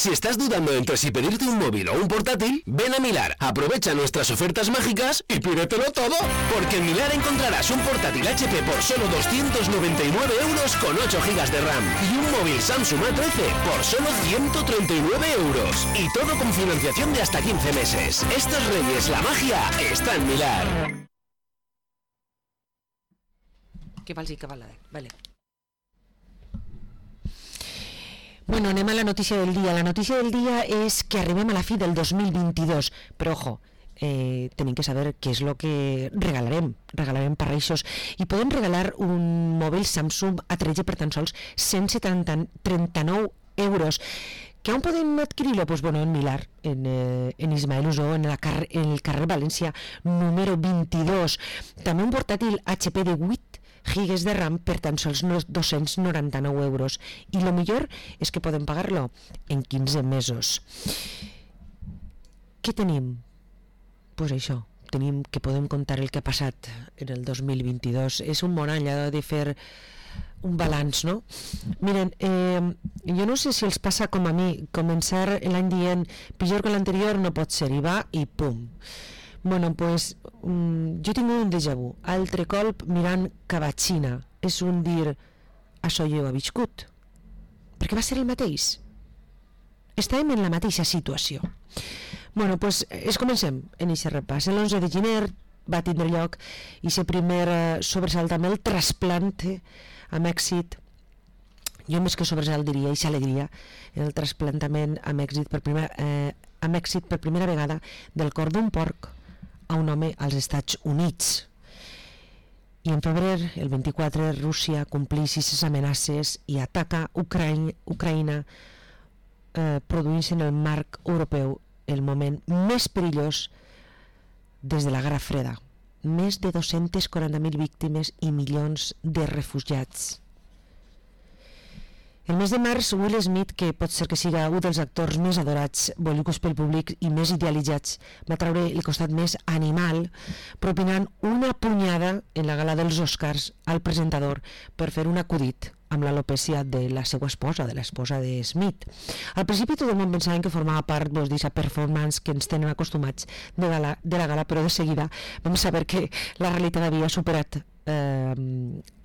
Si estás dudando entre si pedirte un móvil o un portátil, ven a Milar, aprovecha nuestras ofertas mágicas y pídetelo todo. Porque en Milar encontrarás un portátil HP por solo 299 euros con 8 GB de RAM y un móvil Samsung A13 por solo 139 euros. Y todo con financiación de hasta 15 meses. Estos Reyes, la magia está en Milar. Que vale. Bueno, anem a la notícia del dia. La notícia del dia és que arribem a la fi del 2022, però ojo, tenim que saber què és el que regalarem per Reixos, i podem regalar un mòbil Samsung A13 per tan sols 139 euros. Que on podem adquirir-lo? Pues bueno, en Milar, en Ismael Usó, en el carrer València número 22. També un portàtil HP de 8 gigas de RAM per tan sols 299 euros, i lo millor és que podem pagar-lo en 15 mesos. Què tenim? Pues això, tenim que podem contar el que ha passat en el 2022. És un bon any, ha de fer un balanç, no? Miren, jo no sé si els passa com a mi, començar l'any dient pitjor que l'anterior no pot ser, i va i pum. Bueno, pues jo tinc un déjà vu, altre colp mirant cap a Xina, és un dir, això jo he viscut, perquè va ser el mateix, estàvem en la mateixa situació. Bueno, pues comencem en aquest repàs. L'11 de gener va tindre lloc aquest primer sobresalt amb el trasplant amb èxit, jo més que sobresalt diria, aquesta alegria, el trasplantament amb èxit per primera vegada del cor d'un porc a un home als Estats Units. I en febrer, el 24, Rússia compleix aquestes amenaces i ataca Ucraïna, produint-se en el marc europeu el moment més perillós des de la Guerra Freda. Més de 240.000 víctimes i milions de refugiats. El mes de març, Will Smith, que pot ser que siga un dels actors més adorats, volguts pel públic i més idealitzats, va treure el costat més animal, propinant una punyada en la gala dels Oscars al presentador per fer un acudit amb l'alopècia de la seva esposa, de l'esposa de Smith. Al principi tot el món pensava que formava part d'aquesta performance que ens tenen acostumats de la gala, però de seguida vam saber que la realitat havia superat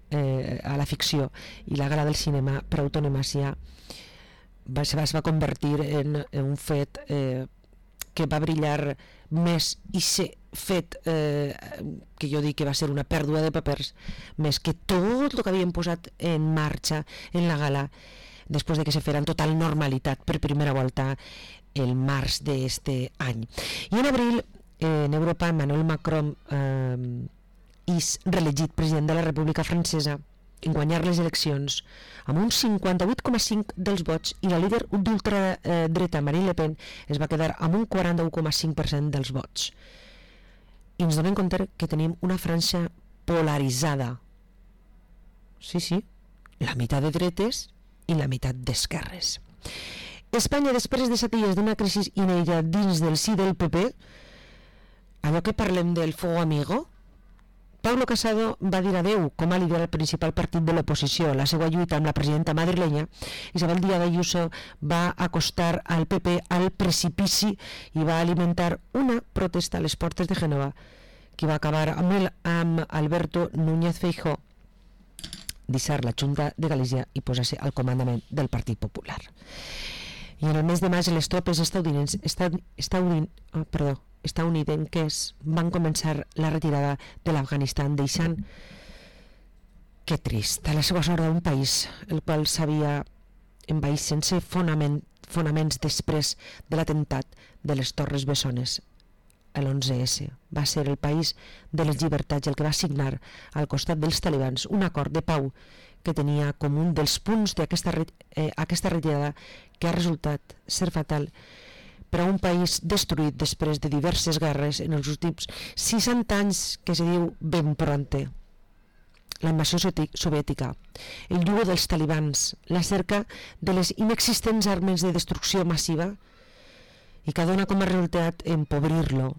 a la ficció, i la gala del cinema per autonomàcia es va convertir en un fet que va brillar més, i ser fet que jo dic que va ser una pèrdua de papers, més que tot el que havien posat en marxa en la gala després de que se fera en total normalitat per primera volta el març d'este any. I en abril, en Europa, Emmanuel Macron és reelegit president de la República Francesa en guanyar les eleccions amb un 58,5% dels vots, i la líder d'ultradreta Marine Le Pen es va quedar amb un 41,5% dels vots. I ens donem compte que tenim una França polaritzada. Sí, la meitat de dretes i la meitat d'esquerres. Espanya, després de 7 dies d'una crisi inèdita dins del sí del PP, allò que parlem del fuego amigo, Pablo Casado va dir adeu com a líder del principal partit de l'oposició. La seva lluita amb la presidenta madrilenya, Isabel Díaz Ayuso, va acostar al PP al precipici i va alimentar una protesta a les portes de Gènova que va acabar amb Alberto Núñez Feijóo deixar la Junta de Galícia i posar-se al comandament del Partit Popular. I en el mes de maig les tropes estadounidenques van començar la retirada de l'Afganistan, deixant, que trist, a la seva sort d'un país el qual s'havia envaït sense fonaments després de l'atemptat de les Torres Bessones l'11S. Va ser el país de les llibertats el que va signar al costat dels talibans un acord de pau que tenia com un dels punts d'aquesta retirada que ha resultat ser fatal per a un país destruït després de diverses guerres en els últims 60 anys, que se diu ben pronte. La invasió soviètica, el jugo dels talibans, la cerca de les inexistents armes de destrucció massiva i que dona com a resultat empobrir-lo,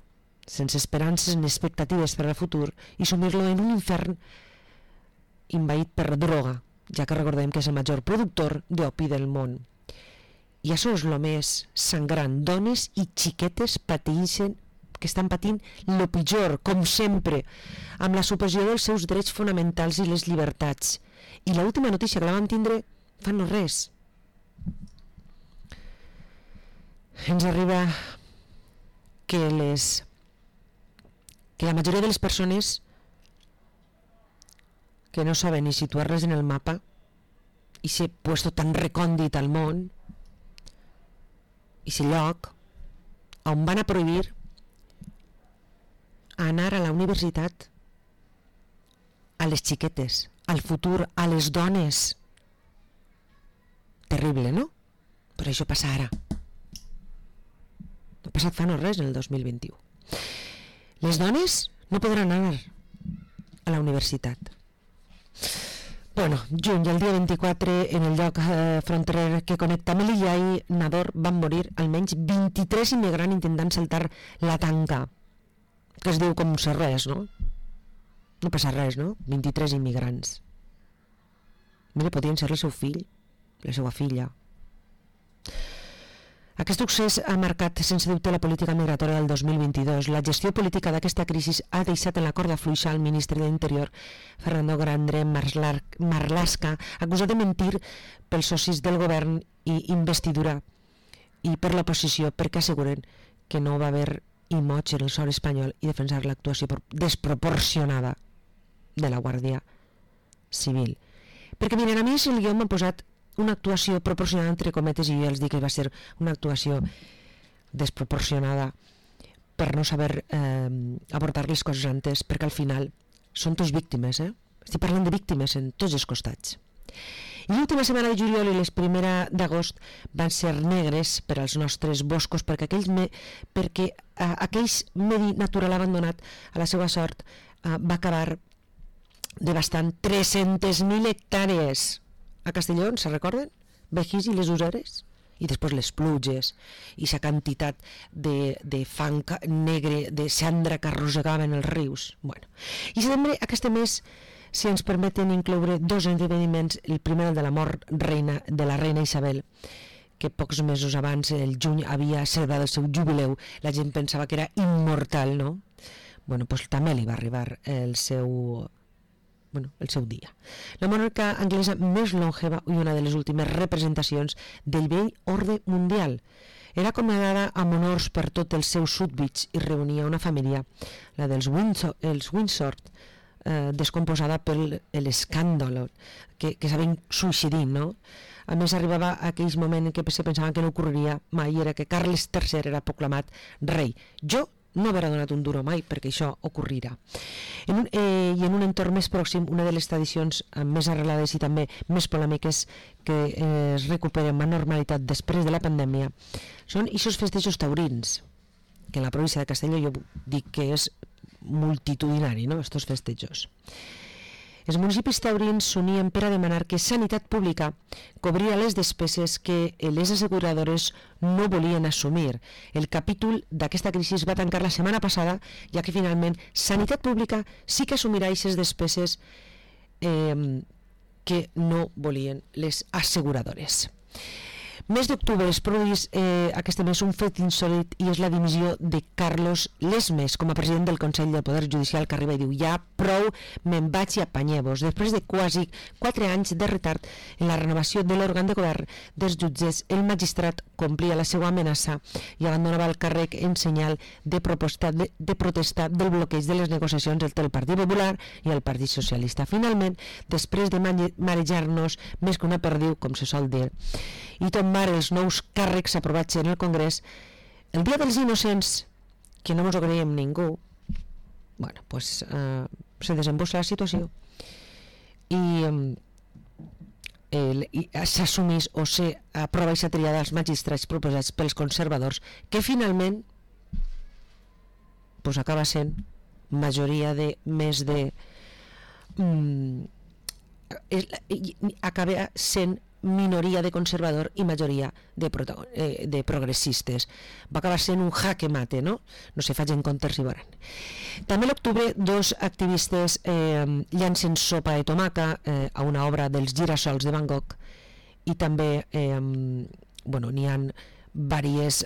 sense esperances ni expectatives per al futur, i sumir-lo en un infern invaït per droga, ja que recordem que és el major productor d'opi del món. I això és el més sangrant. Dones i xiquetes que estan patint el pitjor, com sempre, amb la supressió dels seus drets fonamentals i les llibertats. I l'última notícia que la vam tindre fa no res. Ens arriba que la majoria de les persones que no saben ni situar-les en el mapa i ser puesto tan recòndit al món i ser lloc on van a prohibir anar a la universitat a les xiquetes, al futur, a les dones. Terrible, no? Però això passa ara. No ha passat fa no res en el 2021. Les dones no podran anar a la universitat. Bueno, juny, el dia 24, en el lloc fronterer que connecta Melilla i Nador van morir almenys 23 immigrants intentant saltar la tanca, que es diu com si res, no? No passa res, no? 23 immigrants. Mira, podien ser el seu fill, la seva filla. Aquest succés ha marcat sense dubte la política migratòria del 2022. La gestió política d'aquesta crisi ha deixat en la corda fluixa al ministre de l'Interior, Fernando Grande Marlaska, acusat de mentir pels socis del govern i investidura i per l'oposició, perquè asseguren que no va haver imoig en el sòl espanyol i defensar l'actuació desproporcionada de la Guàrdia Civil. Perquè miren, a mi si el guió m'ha posat una actuació proporcionada entre cometes i jo els dic que va ser una actuació desproporcionada per no saber abordar les coses antes, perquè al final són tots víctimes, estic parlant de víctimes en tots els costats. I l'última setmana de juliol i les primera d'agost van ser negres per als nostres boscos, perquè aquells medi natural abandonat a la seva sort va acabar devastant 300.000 hectàrees a Castelló, se recorden? Vejís i les useres? I després les pluges i la quantitat de fang negre, de cendra que arrossegaven els rius. Bueno. I setembre, aquest mes, si ens permeten incloure dos esdeveniments, el primer de la mort de la reina Isabel, que pocs mesos abans, el juny, havia celebrat el seu jubileu. La gent pensava que era immortal, no? Bueno, doncs també li va arribar el seu dia. La monarca anglesa més longeva i una de les últimes representacions del vell ordre mundial. Era acomodada amb honors per tots els seus súbdits i reunia una família, la dels Windsor, descomposada per l'escàndol que s'havien suïcidit, no? A més, arribava a aquell moment en què se pensaven que no ocorreria mai, era que Carles III era proclamat rei. Jo no haurà donat un duro mai perquè això ocorrirà. I en un entorn més pròxim, una de les tradicions més arrelades i també més polèmiques que es recuperen amb normalitat després de la pandèmia són aquests festejos taurins, que en la província de Castelló jo dic que és multitudinari, no?, estos festejos. Els municipis taurins s'unien per a demanar que Sanitat Pública cobria les despeses que les asseguradores no volien assumir. El capítol d'aquesta crisi va tancar la setmana passada, ja que finalment Sanitat Pública sí que assumirà aquestes despeses que no volien les asseguradores. Mes d'octubre es produeix aquest mes un fet insòlit i és la dimissió de Carlos Lesmes com a president del Consell del Poder Judicial, que arriba i diu: ja prou, me'n vaig i apanyeu-vos. Després de quasi 4 anys de retard en la renovació de l'òrgan de govern dels jutges, el magistrat complia la seva amenaça i abandonava el càrrec en senyal de protesta del bloqueig de les negociacions entre el Partit Popular i el Partit Socialista. Finalment, després de marejar-nos més que una perdiu, com se sol dir, i tombar els nous càrrecs aprovats en el Congrés, el Dia dels Innocents, que no ens ho creiem ningú, bueno, pues, se desembossa la situació i s'assumís o s'aprova aquesta triada dels magistrats proposats pels conservadors, que finalment pues, acaba sent majoria de més de acaba sent minoria de conservador i majoria de progressistes. Va acabar sent un jaque mate, no? No se facin comptes si volen. També a l'octubre, dos activistes llancen sopa de tomaca a una obra dels Girassols de Van Gogh i també n'hi ha diverses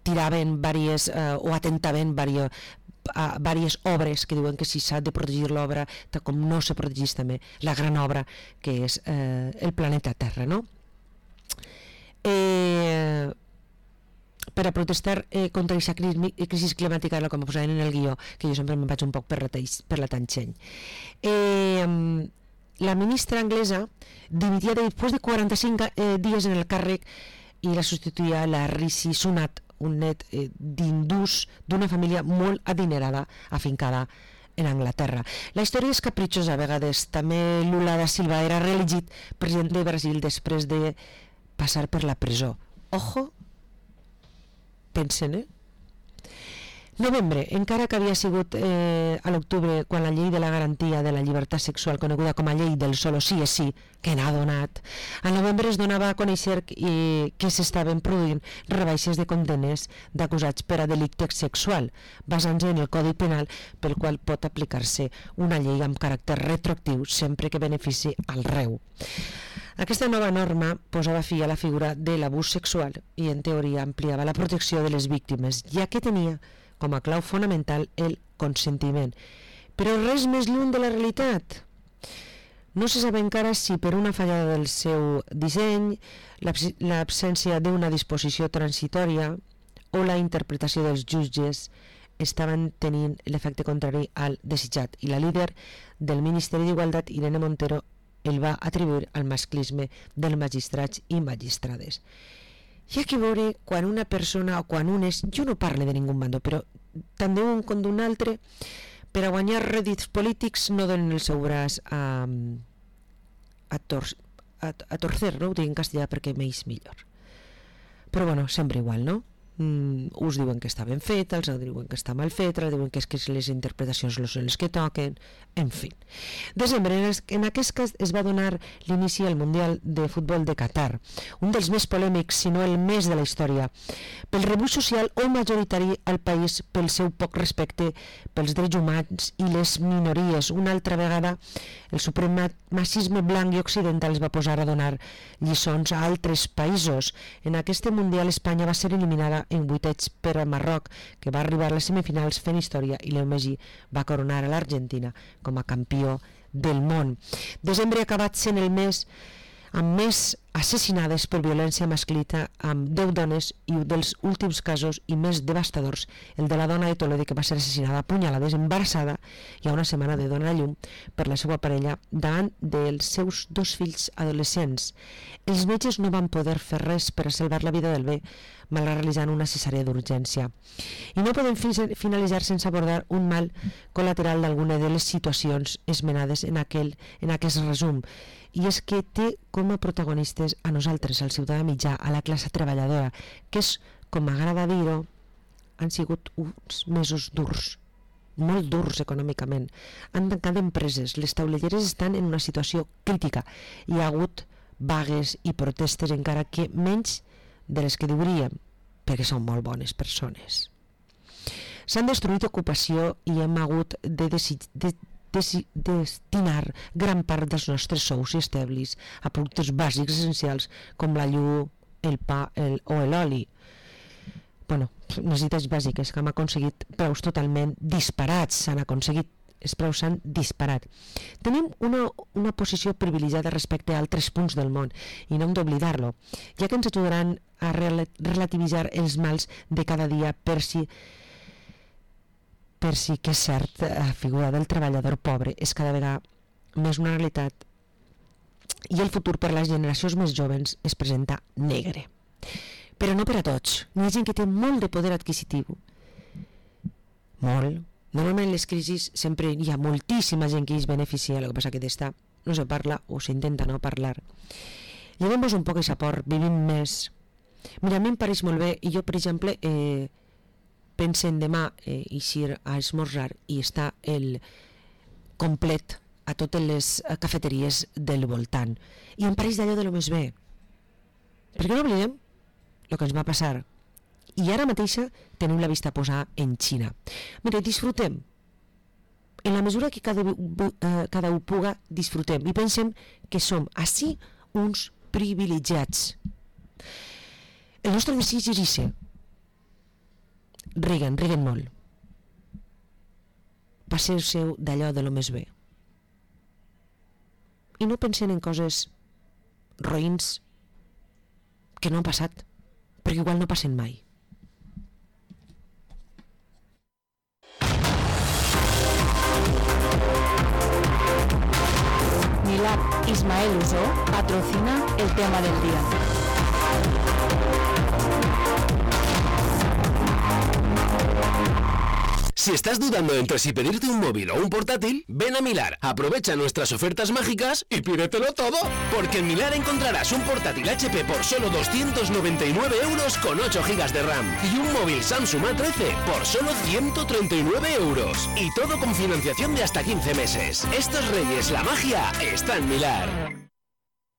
tiraven diverses o atentaven diverses obres que diuen que si s'ha de protegir l'obra com no se protegís també la gran obra que és el planeta Terra, no? Per a protestar contra aquesta crisi climàtica, com posaven en el guió, que jo sempre me'n vaig un poc per la tangent. La ministra anglesa dimitia després de 45 dies en el càrrec i la substituïa la Rishi Sunak, un net d'hindús d'una família molt adinerada afincada en Anglaterra. La història és capritxosa a vegades. També Lula da Silva era reelegit president de Brasil després de passar per la presó. Ojo, pensen, Novembre, encara que havia sigut a l'octubre quan la llei de la garantia de la llibertat sexual, coneguda com a llei del solo sí és sí, que n'ha donat, al novembre es donava a conèixer que s'estaven produint rebaixes de condenes d'acusats per a delicte sexual, basant-se en el Codi Penal, pel qual pot aplicar-se una llei amb caràcter retroactiu sempre que benefici al reu. Aquesta nova norma posava fi a la figura de l'abús sexual i en teoria ampliava la protecció de les víctimes, ja que tenia com a clau fonamental el consentiment. Però res més lluny de la realitat. No se sap encara si per una fallada del seu disseny, l'absència d'una disposició transitòria o la interpretació dels jutges estaven tenint l'efecte contrari al desitjat, i la líder del Ministeri d'Igualtat, Irene Montero, el va atribuir al masclisme dels magistrats i magistrades. Hi ha que veure quan una persona o quan un és, jo no parlo de ningú bando, però tant d'un com d'un altre, per a guanyar rèdits polítics no donen el seu braç a torcer, no? Ho dic en castellà perquè m'eix millor. Però bueno, sempre igual, no? Uns diuen que està ben fet, els diuen que està mal fet, diuen que les interpretacions no són les que toquen, en fi. Desembre, en aquest cas es va donar l'inici al Mundial de Futbol de Qatar, un dels més polèmics, si no el més de la història, pel rebuig social o majoritari al país, pel seu poc respecte pels drets humans i les minories. Una altra vegada el supremacisme blanc i occidental es va posar a donar lliçons a altres països. En aquest Mundial Espanya va ser eliminada en vuitets per a Marroc, que va arribar a les semifinals fent història, i Leo Messi va coronar a l'Argentina com a campió del món. Desembre ha acabat sent el mes amb més assassinades per violència masclista, amb 10 dones, i un dels últims casos i més devastadors, el de la dona de Toledo, que va ser assassinada a punyalades embarassada i a una setmana de donar a llum per la seva parella davant dels seus 2 fills adolescents. Els metges no van poder fer res per a salvar la vida del bebè, malgrat realitzant una cesàrea d'urgència. I no podem finalitzar sense abordar un mal col·lateral d'alguna de les situacions esmenades en aquest resum, i és que té com a protagonistes a nosaltres, al ciutadà mitjà, a la classe treballadora, que és, com m'agrada dir-ho, han sigut uns mesos durs, molt durs econòmicament. Han tancat empreses, les tauleteres estan en una situació crítica, hi ha hagut vagues i protestes, encara que menys de les que diríem, perquè són molt bones persones. S'han destruït ocupació i hem hagut de destinar gran part dels nostres sous i establis a productes bàsics essencials com la llum, el pa o l'oli. Necessitats bàsiques que hem aconseguit preus totalment disparats, els preus s'han disparat. Tenim una posició privilegiada respecte a altres punts del món i no hem d'oblidar-lo, ja que ens ajudaran a relativitzar els mals de cada dia per si que és cert, la figura del treballador pobre és cada vegada més una realitat i el futur per a les generacions més joves es presenta negre. Però no per a tots. Hi ha gent que té molt de poder adquisitiu. Molt. Normalment en les crisis sempre hi ha moltíssima gent que es beneficia, el que passa que d'esta no se parla o s'intenta no parlar. Llevem-nos un poc aquest aport, vivim més. Mira, a mi em pareix molt bé, i jo, per exemple, pensen demà eixir a esmorzar i està el complet a totes les cafeteries del voltant. I em pareix d'allò de lo més bé. Perquè no oblidem el que ens va passar. I ara mateixa tenim la vista posada en Xina. Mira, disfrutem. En la mesura que cada un puga, disfrutem. I pensem que som així uns privilegiats. El nostre desig és ese. Riguen molt. Passeu-seu d'allò de lo més bé. I no pensen en coses roïns que no han passat, perquè igual no passen mai. Milad Ismael Usó patrocina el tema del día. Si estás dudando entre si pedirte un móvil o un portátil, ven a Milar, aprovecha nuestras ofertas mágicas y pídetelo todo. Porque en Milar encontrarás un portátil HP por solo 299 euros con 8 GB de RAM y un móvil Samsung A13 por solo 139 euros. Y todo con financiación de hasta 15 meses. Estos reyes, la magia está en Milar.